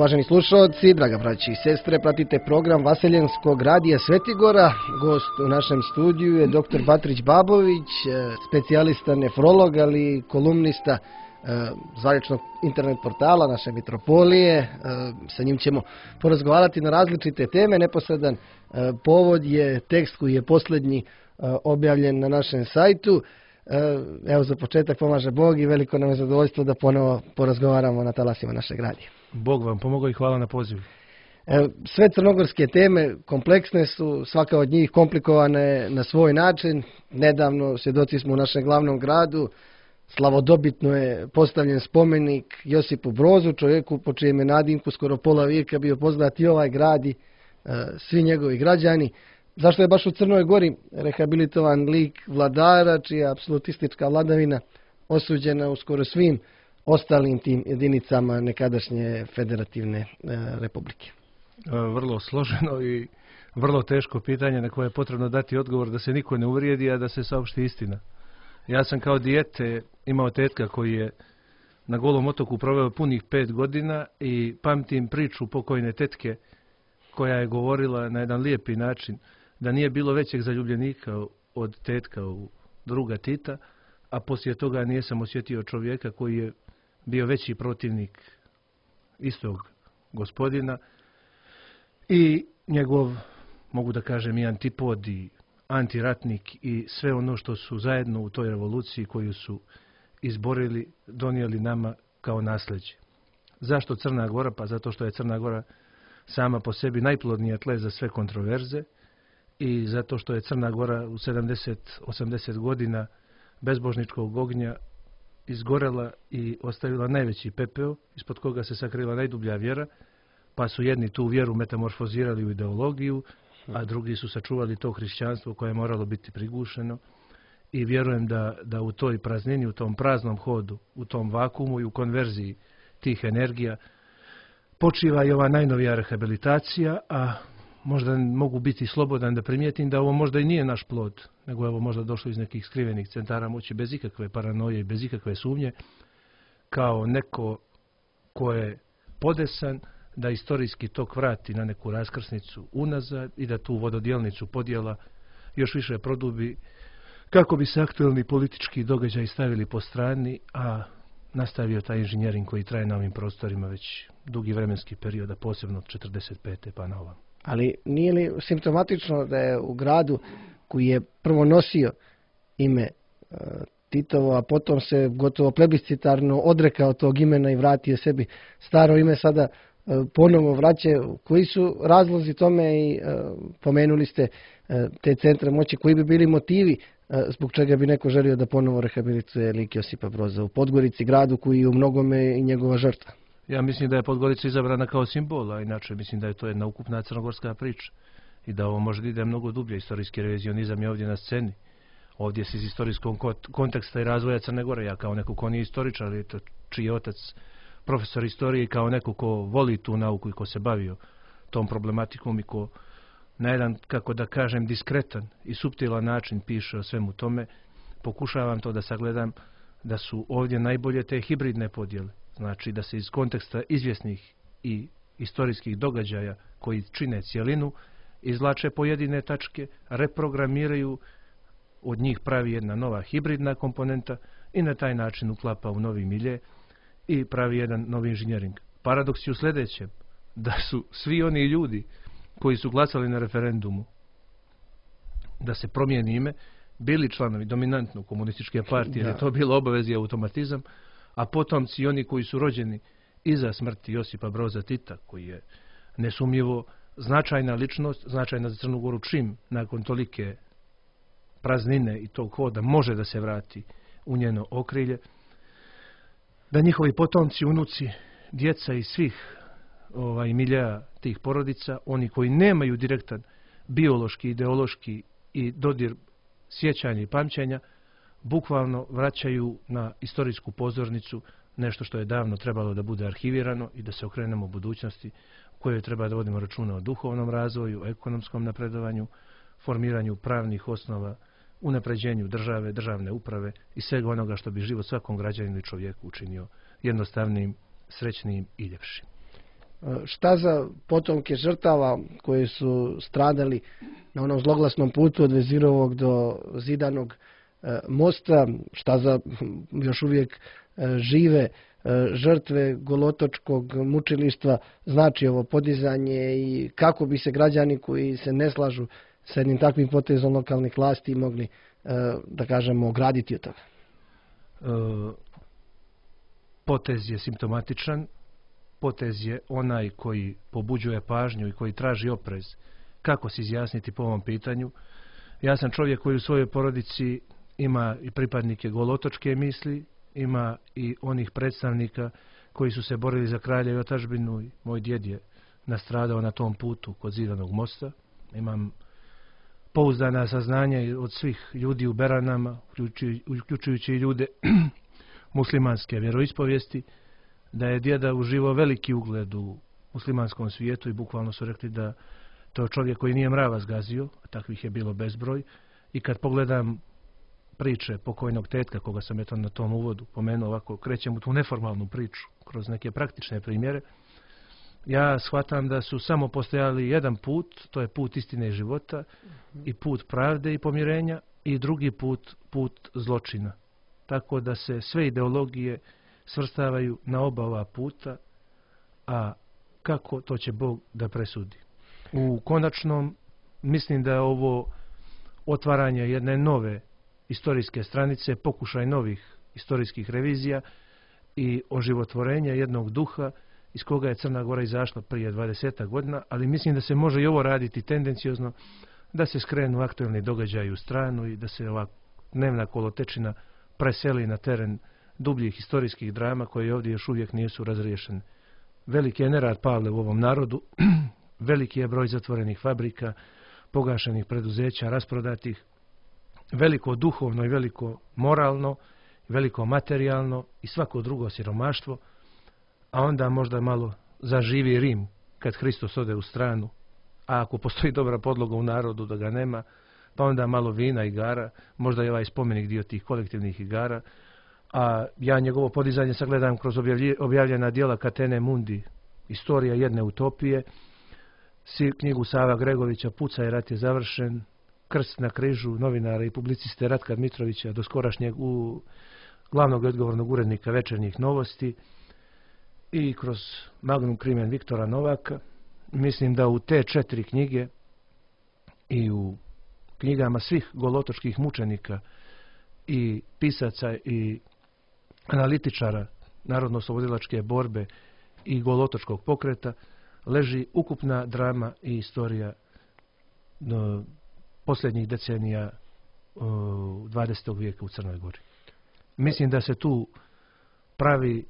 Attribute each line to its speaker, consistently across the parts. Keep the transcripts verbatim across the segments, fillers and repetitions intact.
Speaker 1: Uvaženi slušalci, draga braći i sestre, pratite program Vaseljenskog radija Svetigora. Gost u našem studiju je doktor Batrić Babović, specijalista nefrolog, ali kolumnista zvaničnog internet portala naše Mitropolije. Sa njim ćemo porazgovarati na različite teme. Neposredan povod je tekst koji je posljednji objavljen na našem sajtu. Evo, za početak pomaže Bog i veliko nam je zadovoljstvo da ponovo porazgovaramo na talasima našeg radija.
Speaker 2: Bog vam pomogao i hvala na pozivu.
Speaker 1: Sve crnogorske teme kompleksne su, svaka od njih komplikovane na svoj način. Nedavno, svjedoci smo u našem glavnom gradu, slavodobitno je postavljen spomenik Josipu Brozu, čovjeku po čijem je nadimku skoro pola vijeka bio poznat i ovaj grad i svi njegovi građani. Zašto je baš u Crnoj Gori rehabilitovan lik vladara, čija apsolutistička vladavina osuđena u skoro svim ostalim tim jedinicama nekadašnje federativne republike?
Speaker 2: Vrlo složeno i vrlo teško pitanje na koje je potrebno dati odgovor da se niko ne uvrijedi, a da se saopšti istina. Ja sam kao dijete imao tetka koji je na Golom otoku proveo punih pet godina i pamtim priču pokojne tetke koja je govorila na jedan lijepi način da nije bilo većeg zaljubljenika od tetka u druga Tita, a poslije toga nisam osjetio čovjeka koji je bio veći protivnik istog gospodina i njegov, mogu da kažem, i antipod i antiratnik i sve ono što su zajedno u toj revoluciji koju su izborili, donijeli nama kao nasljeđe. Zašto Crna Gora? Pa zato što je Crna Gora sama po sebi najplodnija tle za sve kontroverze i zato što je Crna Gora u sedamdeset osamdeset godina bezbožničkog ognja izgorela i ostavila najveći pepeo, ispod koga se sakrila najdublja vjera, pa su jedni tu vjeru metamorfozirali u ideologiju, a drugi su sačuvali to hrišćanstvo koje je moralo biti prigušeno. I vjerujem da, da u toj praznini, u tom praznom hodu, u tom vakumu i u konverziji tih energija počiva i ova najnovija rehabilitacija, a možda mogu biti slobodan da primijetim da ovo možda i nije naš plod, nego je ovo možda došlo iz nekih skrivenih centara moći bez ikakve paranoje i bez ikakve sumnje, kao neko ko je podesan da istorijski tok vrati na neku raskrsnicu unazad i da tu vododjelnicu podjela još više produbi kako bi se aktuelni politički događaji stavili po strani, a nastavio taj inženjering koji traje na ovim prostorima već dugi vremenski period, a posebno od četrdeset pete pa na ovam.
Speaker 1: Ali nije li simptomatično da je u gradu koji je prvo nosio ime uh, Titovo, a potom se gotovo plebiscitarno odrekao tog imena i vratio sebi staro ime, sada uh, ponovo vraća? Koji su razlozi tome i uh, pomenuli ste uh, te centre moći, koji bi bili motivi uh, zbog čega bi neko želio da ponovo rehabilituje lik Josipa Broza u Podgorici, gradu koji je u mnogome i njegova žrtva?
Speaker 2: Ja mislim da je Podgorica izabrana kao simbol, a inače mislim da je to jedna ukupna crnogorska priča i da ovo možda ide mnogo dublje. Istorijski revizionizam je ovdje na sceni. Ovdje se iz istorijskog konteksta i razvoja Crne Gore, ja kao neko ko nije istoričar, ali to čiji je otac profesor istorije, kao neko ko voli tu nauku i ko se bavio tom problematikom i ko na jedan, kako da kažem, diskretan i suptilan način piše o svemu tome, pokušavam to da sagledam da su ovdje najbolje te hibridne podjele. Znači da se iz konteksta izvjesnih i istorijskih događaja koji čine cijelinu izvlače pojedine tačke, reprogramiraju, od njih pravi jedna nova hibridna komponenta i na taj način uklapa u novi milje i pravi jedan novi inženjering. Paradoks je u sljedećem, da su svi oni ljudi koji su glasali na referendumu da se promijeni ime, bili članovi dominantno komunističke partije, jer je to bilo obavez i automatizam, a potomci oni koji su rođeni iza smrti Josipa Broza Tita, koji je nesumnjivo značajna ličnost, značajna za Crnu Goru, čim nakon tolike praznine i tog hoda može da se vrati u njeno okrilje, da njihovi potomci, unuci, djeca i svih ovaj, milija tih porodica, oni koji nemaju direktan biološki, ideološki i dodir sjećanja i pamćenja, bukvalno vraćaju na istorijsku pozornicu nešto što je davno trebalo da bude arhivirano i da se okrenemo u budućnosti u kojoj treba da vodimo računa o duhovnom razvoju, ekonomskom napredovanju, formiranju pravnih osnova, unapređenju države, državne uprave i svega onoga što bi život svakom građaninu i čovjeku učinio jednostavnim, srećnim i ljepšim.
Speaker 1: Šta za potomke žrtava koji su stradali na onom zloglasnom putu od Vezirovog do Zidanog mosta, šta za još uvijek žive žrtve Golotočkog mučilištva znači ovo podizanje i kako bi se građani koji se ne slažu sa jednim takvim potezom lokalnih vlasti mogli, da kažemo, ograditi od toga?
Speaker 2: Potez je simptomatičan, potez je onaj koji pobuđuje pažnju i koji traži oprez. Kako se izjasniti po ovom pitanju? Ja sam čovjek koji u svojoj porodici ima i pripadnike golotočke misli, ima i onih predstavnika koji su se borili za kralja i otadžbinu. Moj djed je nastradao na tom putu kod Zidanog mosta. Imam pouzdana saznanja od svih ljudi u Beranama, uključujući i ljude muslimanske vjeroispovijesti, da je djeda uživao veliki ugled u muslimanskom svijetu i bukvalno su rekli da to je čovjek koji nije mrava zgazio, a takvih je bilo bezbroj. I kad pogledam priče pokojnog tetka, koga sam eto na tom uvodu pomenuo, ovako krećem u tu neformalnu priču kroz neke praktične primjere, ja shvatam da su samo postojali jedan put, to je put istine i života, i put pravde i pomirenja, i drugi put, put zločina. Tako da se sve ideologije svrstavaju na oba ova puta, a kako to će Bog da presudi. U konačnom, mislim da je ovo otvaranje jedne nove istorijske stranice, pokušaj novih istorijskih revizija i oživotvorenja jednog duha iz koga je Crna Gora izašla prije dvadeset godina, ali mislim da se može i ovo raditi tendenciozno, da se skrenu aktuelni događaji u stranu i da se ova dnevna kolotečina preseli na teren dubljih historijskih drama koje ovdje još uvijek nisu razriješene. Veliki je nerad Pavle u ovom narodu, veliki je broj zatvorenih fabrika, pogašenih preduzeća, rasprodatih, veliko duhovno i veliko moralno, veliko materijalno i svako drugo siromaštvo, a onda možda malo zaživi Rim kad Hristos ode u stranu, a ako postoji dobra podloga u narodu da ga nema, pa onda malo vina, igara, možda je ovaj spomenik dio tih kolektivnih igara, a ja njegovo podizanje sagledam kroz objavljena djela Katene Mundi, Istorija jedne utopije, knjigu Sava Gregovića, Pucaj, rat je završen, Krst na križu novinara i publiciste Ratka Dmitrovića, do skorašnjeg u glavnog odgovornog urednika Večernjih novosti, i kroz Magnum Crimen Viktora Novaka. Mislim da u te četiri knjige i u knjigama svih golotočkih mučenika i pisaca i analitičara narodno-oslobodilačke borbe i golotočkog pokreta leži ukupna drama i istorija do posljednjih decenija dvadesetog vijeka u Crnoj Gori. Mislim da se tu pravi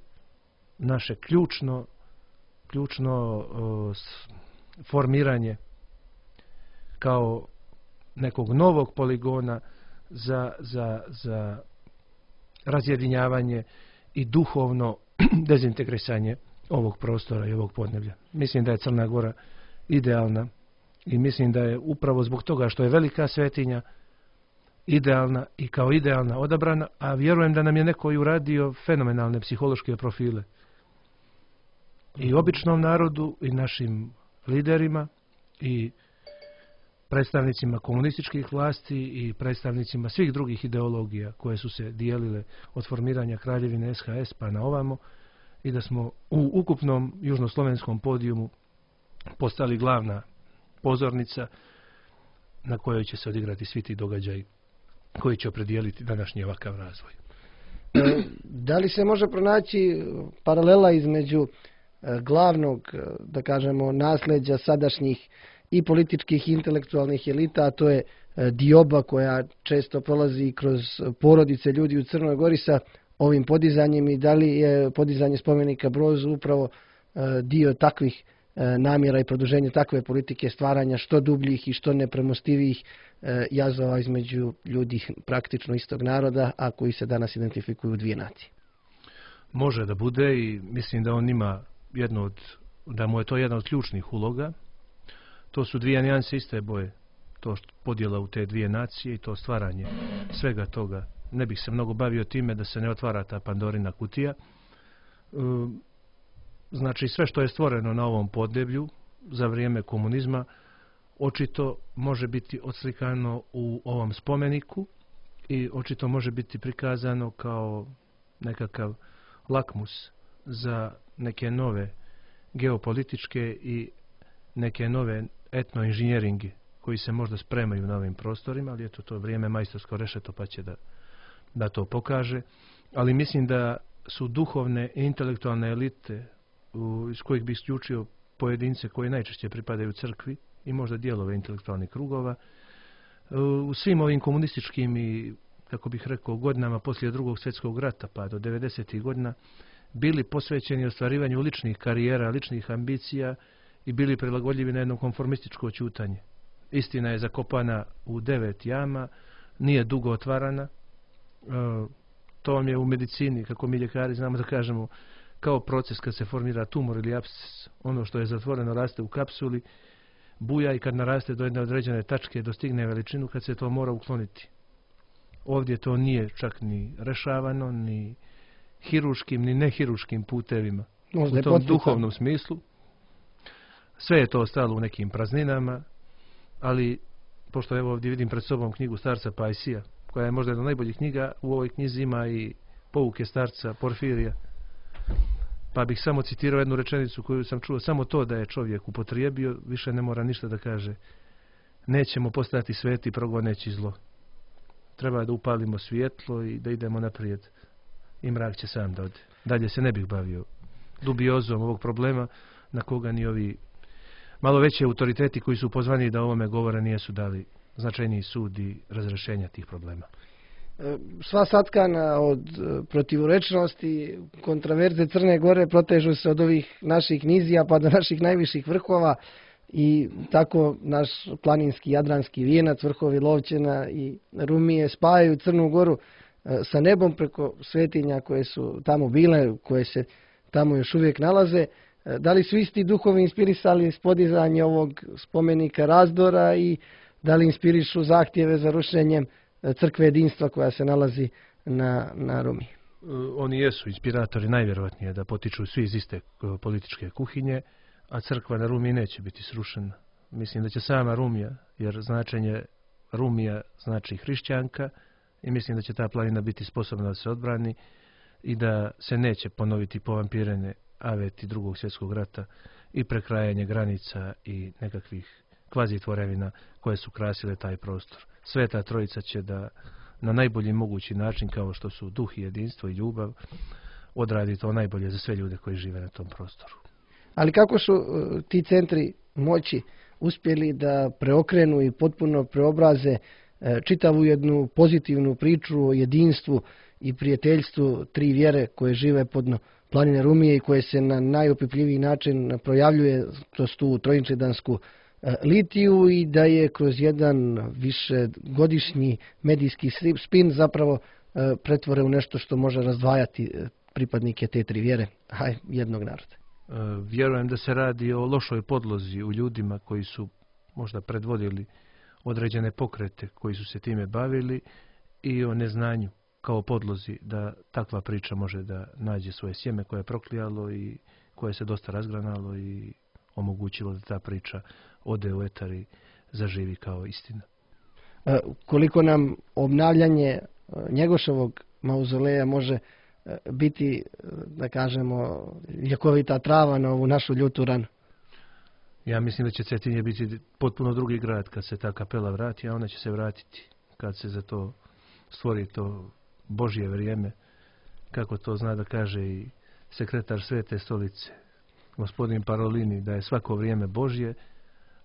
Speaker 2: naše ključno, ključno formiranje kao nekog novog poligona za, za, za razjedinjavanje i duhovno dezintegrisanje ovog prostora i ovog podneblja. Mislim da je Crna Gora idealna i mislim da je upravo zbog toga što je velika svetinja idealna i kao idealna odabrana, a vjerujem da nam je neko i uradio fenomenalne psihološke profile. I običnom narodu i našim liderima i predstavnicima komunističkih vlasti i predstavnicima svih drugih ideologija koje su se dijelile od formiranja Kraljevine S H S pa na ovamo, i da smo u ukupnom južnoslovenskom podijumu postali glavna pozornica na kojoj će se odigrati svi ti događaji koji će opredijeliti današnji ovakav razvoj.
Speaker 1: Da li se može pronaći paralela između glavnog, da kažemo, nasljeđa sadašnjih i političkih i intelektualnih elita, a to je dioba koja često prolazi kroz porodice ljudi u Crnoj Gori sa ovim podizanjem, i da li je podizanje spomenika Brozu upravo dio takvih namjera i produženje takve politike stvaranja što dubljih i što nepremostivijih jazova između ljudi praktično istog naroda, a koji se danas identifikuju u dvije nacije?
Speaker 2: Može da bude i mislim da on ima jedno od, da mu je to jedna od ključnih uloga. To su dvije nijanse iste boje. To podjela u te dvije nacije i to stvaranje svega toga. Ne bih se mnogo bavio time da se ne otvara ta Pandorina kutija. Znači sve što je stvoreno na ovom podneblju za vrijeme komunizma očito može biti odslikano u ovom spomeniku i očito može biti prikazano kao nekakav lakmus za neke nove geopolitičke i neke nove etnoinženjeringe koji se možda spremaju na ovim prostorima, ali eto to vrijeme majstorsko rešeto pa će da, da to pokaže. Ali mislim da su duhovne i intelektualne elite u, iz kojih bi isključio pojedince koji najčešće pripadaju crkvi i možda dijelove intelektualnih krugova, u svim ovim komunističkim i, kako bih rekao, godinama poslije drugog svjetskog rata pa do devedesetih godina bili posvećeni ostvarivanju ličnih karijera, ličnih ambicija i bili prilagodljivi na jedno konformističko ćutanje. Istina je zakopana u devet jama, nije dugo otvarana. To vam je u medicini, kako mi ljekari znamo da kažemo, kao proces kad se formira tumor ili apsces. Ono što je zatvoreno raste u kapsuli, buja i kad naraste do jedne određene tačke dostigne veličinu kad se to mora ukloniti. Ovdje to nije čak ni rešavano, ni hiruškim, ni nehiruškim putevima.
Speaker 1: Možda
Speaker 2: u tom duhovnom smislu. Sve je to ostalo u nekim prazninama, ali pošto evo ovdje vidim pred sobom knjigu starca Pajsija, koja je možda jedna od najboljih knjiga, u ovoj knjizi ima i pouke starca Porfirija. Pa bih samo citirao jednu rečenicu koju sam čuo, samo to da je čovjek upotrijebio, više ne mora ništa da kaže. Nećemo postati sveti progoneći zlo. Treba da upalimo svjetlo i da idemo naprijed. I mrak će sam da ode. Dalje se ne bih bavio dubiozom ovog problema na koga ni ovi malo veći autoriteti koji su pozvani da o ovome govore nijesu dali značajniji sud i razrešenja tih problema.
Speaker 1: Sva satkana od protivrečnosti, kontraverze Crne Gore protežu se od ovih naših nizija pa do naših najviših vrhova i tako naš planinski jadranski vijenac, vrhovi Lovćena i Rumije spajaju Crnu Goru sa nebom preko svetinja koje su tamo bile, koje se tamo još uvijek nalaze. Da li su isti duhovi inspirisali podizanje ovog spomenika razdora i da li inspirišu zahtjeve za rušenjem crkve jedinstva koja se nalazi na, na Rumi?
Speaker 2: Oni jesu inspiratori, najvjerovatnije da potiču svi iz iste političke kuhinje, a crkva na Rumi neće biti srušena. Mislim da će sama Rumija, jer značenje Rumija znači hrišćanka, i mislim da će ta planina biti sposobna da se odbrani i da se neće ponoviti povampirene aveti drugog svjetskog rata i prekrajanje granica i nekakvih kvazi tvorevina koje su krasile taj prostor. Sveta Trojica će da na najbolji mogući način, kao što su duh i jedinstvo i ljubav, odradi to najbolje za sve ljude koji žive na tom prostoru.
Speaker 1: Ali kako su uh, ti centri moći uspjeli da preokrenu i potpuno preobraze uh, čitavu jednu pozitivnu priču o jedinstvu i prijateljstvu tri vjere koje žive podno planine Rumije i koje se na najopipljiviji način projavljuje kroz tu trojinčedansku litiju i da je kroz jedan višegodišnji medijski spin zapravo pretvore u nešto što može razdvajati pripadnike te tri vjere, a jednog naroda.
Speaker 2: Vjerujem da se radi o lošoj podlozi u ljudima koji su možda predvodili određene pokrete koji su se time bavili i o neznanju kao podlozi da takva priča može da nađe svoje sjeme koje je proklijalo i koje se dosta razgranalo i omogućilo da ta priča ode u etar i zaživi kao istina.
Speaker 1: E, koliko nam obnavljanje Njegoševog mauzoleja može biti, da kažemo, ljekovita trava na ovu našu ljutu ranu?
Speaker 2: Ja mislim da će Cetinje biti potpuno drugi grad kad se ta kapela vrati, a ona će se vratiti kad se za to stvori to Božje vrijeme, kako to zna da kaže i sekretar Svete stolice, gospodin Parolini, da je svako vrijeme Božje,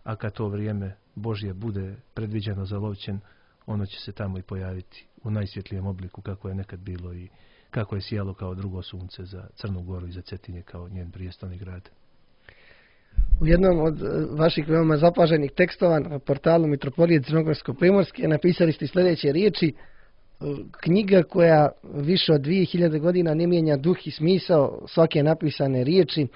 Speaker 2: a kad to vrijeme Božje bude predviđeno za Lovćen, ono će se tamo i pojaviti u najsvjetlijem obliku kako je nekad bilo i kako je sijalo kao drugo sunce za Crnu Goru i za Cetinje kao njen prijestolni grad.
Speaker 1: U jednom od vaših veoma zapaženih tekstova na portalu Mitropolije Crnogorsko-Primorske napisali ste sljedeće riječi: knjiga koja više od dvije hiljade godina ne mijenja duh i smisao svake napisane riječi,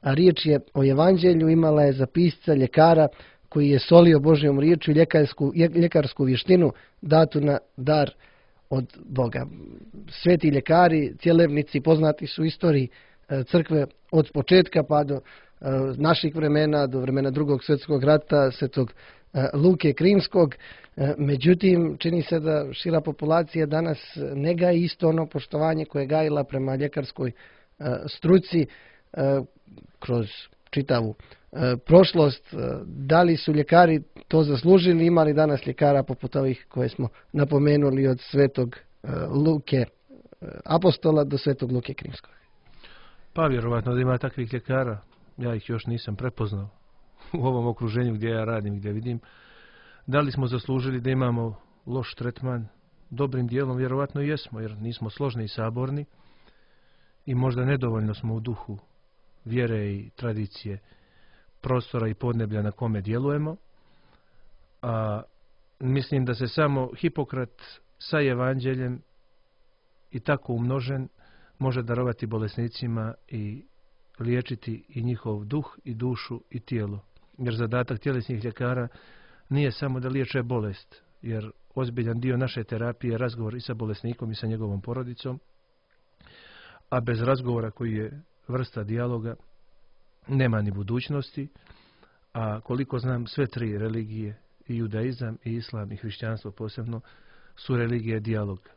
Speaker 1: a riječ je o evanđelju, imala je za pisca ljekara koji je solio Božjom riječu i ljekarsku, ljekarsku vještinu datu na dar od Boga. Sveti ljekari, cjelevnici, poznati su u istoriji crkve od početka pa do naših vremena, do vremena drugog svjetskog rata, svetog Luke Krimskog. Međutim, čini se da šira populacija danas ne gaji isto ono poštovanje koje je gajila prema ljekarskoj struci kroz čitavu prošlost. Da li su ljekari to zaslužili, ima li danas ljekara poput ovih koje smo napomenuli od svetog Luke Apostola do svetog Luke Krimskog?
Speaker 2: Pa vjerovatno da ima takvih ljekara. Ja ih još nisam prepoznao u ovom okruženju gdje ja radim, gdje vidim. Da li smo zaslužili da imamo loš tretman? Dobrim dijelom vjerovatno jesmo, jer nismo složni i saborni i možda nedovoljno smo u duhu vjere i tradicije prostora i podneblja na kome djelujemo. A mislim da se samo Hipokrat sa evanđeljem i tako umnožen može darovati bolesnicima i liječiti i njihov duh i dušu i tijelo. Jer zadatak tjelesnih ljekara nije samo da liječe bolest, jer ozbiljan dio naše terapije je razgovor i sa bolesnikom i sa njegovom porodicom, a bez razgovora koji je vrsta dijaloga nema ni budućnosti, a koliko znam sve tri religije, i judaizam, i islam, i hrišćanstvo posebno, su religije dijaloga.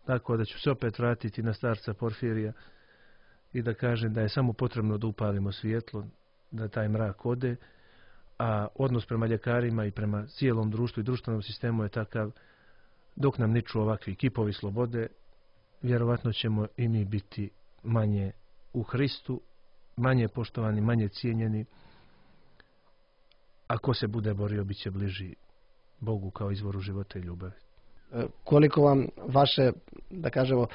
Speaker 2: Tako da ću se opet vratiti na starca Porfirija i da kažem da je samo potrebno da upalimo svjetlo, da taj mrak ode, a odnos prema ljekarima i prema cijelom društvu i društvenom sistemu je takav, dok nam niču ovakvi kipovi slobode, vjerovatno ćemo i mi biti manje u Hristu, manje poštovani, manje cijenjeni, a ko se bude borio bit će bliži Bogu kao izvoru života i ljubavi.
Speaker 1: Koliko vam vaše, da kažemo,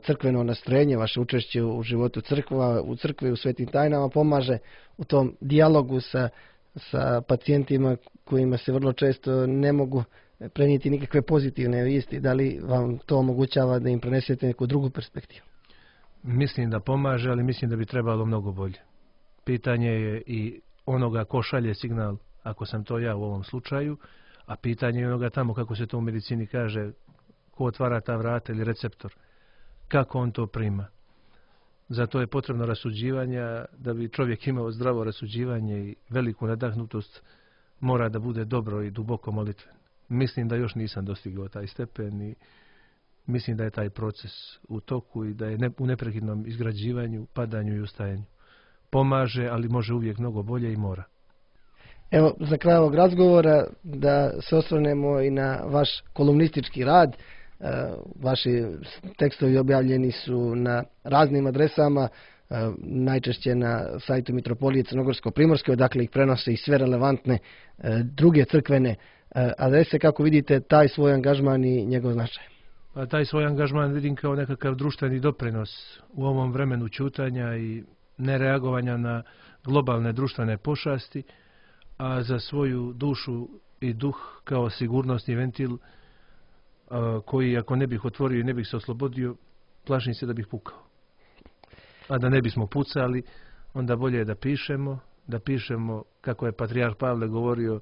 Speaker 1: crkveno nastrojenje, vaše učešće u životu crkva, u crkvi, u svetim tajnama pomaže u tom dijalogu sa, sa pacijentima kojima se vrlo često ne mogu prenijeti nikakve pozitivne vijesti? Da li vam to omogućava da im prenesete neku drugu perspektivu?
Speaker 2: Mislim da pomaže, ali mislim da bi trebalo mnogo bolje. Pitanje je i onoga ko šalje signal, ako sam to ja u ovom slučaju, a pitanje je onoga tamo, kako se to u medicini kaže, ko otvara ta vrata ili receptor, kako on to prima. Zato je potrebno rasuđivanja. Da bi čovjek imao zdravo rasuđivanje i veliku nadahnutost, mora da bude dobro i duboko molitven. Mislim da još nisam dostigao taj stepen i mislim da je taj proces u toku i da je u neprekidnom izgrađivanju, padanju i ustajanju. Pomaže, ali može uvijek mnogo bolje i mora.
Speaker 1: Evo, za kraj ovog razgovora da se osvrnemo i na vaš kolumnistički rad. Vaši tekstovi objavljeni su na raznim adresama, najčešće na sajtu Mitropolije Crnogorsko-Primorske, odakle ih prenose i sve relevantne druge crkvene adrese. Kako vidite taj svoj angažman i njegov značaj?
Speaker 2: Pa taj svoj angažman vidim kao nekakav društveni doprinos u ovom vremenu ćutanja i nereagovanja na globalne društvene pošasti, a za svoju dušu i duh kao sigurnosni ventil koji ako ne bih otvorio i ne bih se oslobodio, plašim se da bih pukao. A da ne bismo pucali, onda bolje je da pišemo, da pišemo kako je patrijarh Pavle govorio,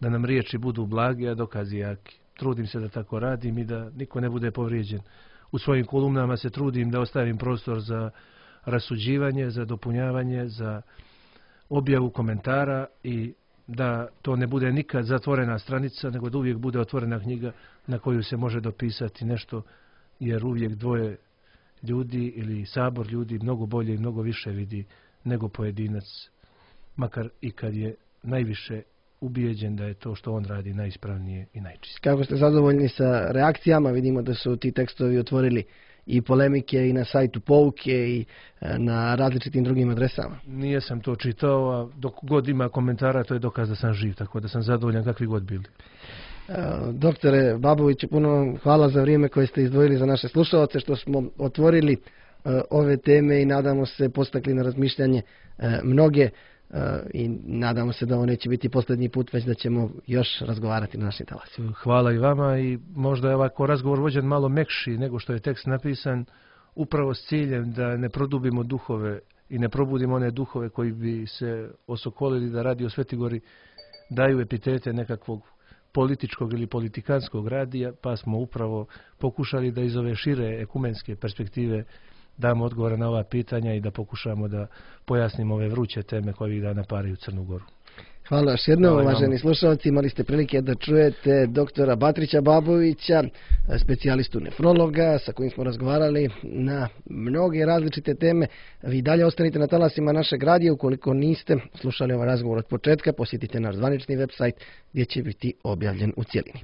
Speaker 2: da nam riječi budu blage, a dokazi jaki. Trudim se da tako radim i da niko ne bude povrijeđen. U svojim kolumnama se trudim da ostavim prostor za rasuđivanje, za dopunjavanje, za objavu komentara i da to ne bude nikad zatvorena stranica, nego da uvijek bude otvorena knjiga na koju se može dopisati nešto, jer uvijek dvoje ljudi ili sabor ljudi mnogo bolje i mnogo više vidi nego pojedinac, makar i kad je najviše ubijeđen da je to što on radi najispravnije i najčistije.
Speaker 1: Kako ste zadovoljni sa reakcijama? Vidimo da su ti tekstovi otvorili i polemike i na sajtu Pouke i na različitim drugim adresama.
Speaker 2: Nije sam to čitao, a dok god ima komentara, to je dokaz da sam živ, tako da sam zadovoljan kakvi god bili.
Speaker 1: Doktore Baboviću, puno vam hvala za vrijeme koje ste izdvojili za naše slušalce, što smo otvorili ove teme i nadamo se postakli na razmišljanje mnoge i nadamo se da ovo neće biti posljednji put, već da ćemo još razgovarati na našim talasima.
Speaker 2: Hvala i vama i možda je ovako razgovor vođen malo mekši nego što je tekst napisan, upravo s ciljem da ne produbimo duhove i ne probudimo one duhove koji bi se osokolili da Radio Svetigori daju epitete nekakvog političkog ili politikanskog radija, pa smo upravo pokušali da iz ove šire ekumenske perspektive damo odgovore na ova pitanja i da pokušamo da pojasnimo ove vruće teme koje ovih dana paraju Crnu Goru.
Speaker 1: Hvala još jednom,
Speaker 2: Hvala
Speaker 1: uvaženi
Speaker 2: vam.
Speaker 1: slušalci. Imali ste prilike da čujete doktora Batrića Babovića, specijalistu nefrologa, sa kojim smo razgovarali na mnoge različite teme. Vi dalje ostanite na talasima našeg radija. Ukoliko niste slušali ovaj razgovor od početka, posjetite naš zvanični website gdje će biti objavljen u cjelini.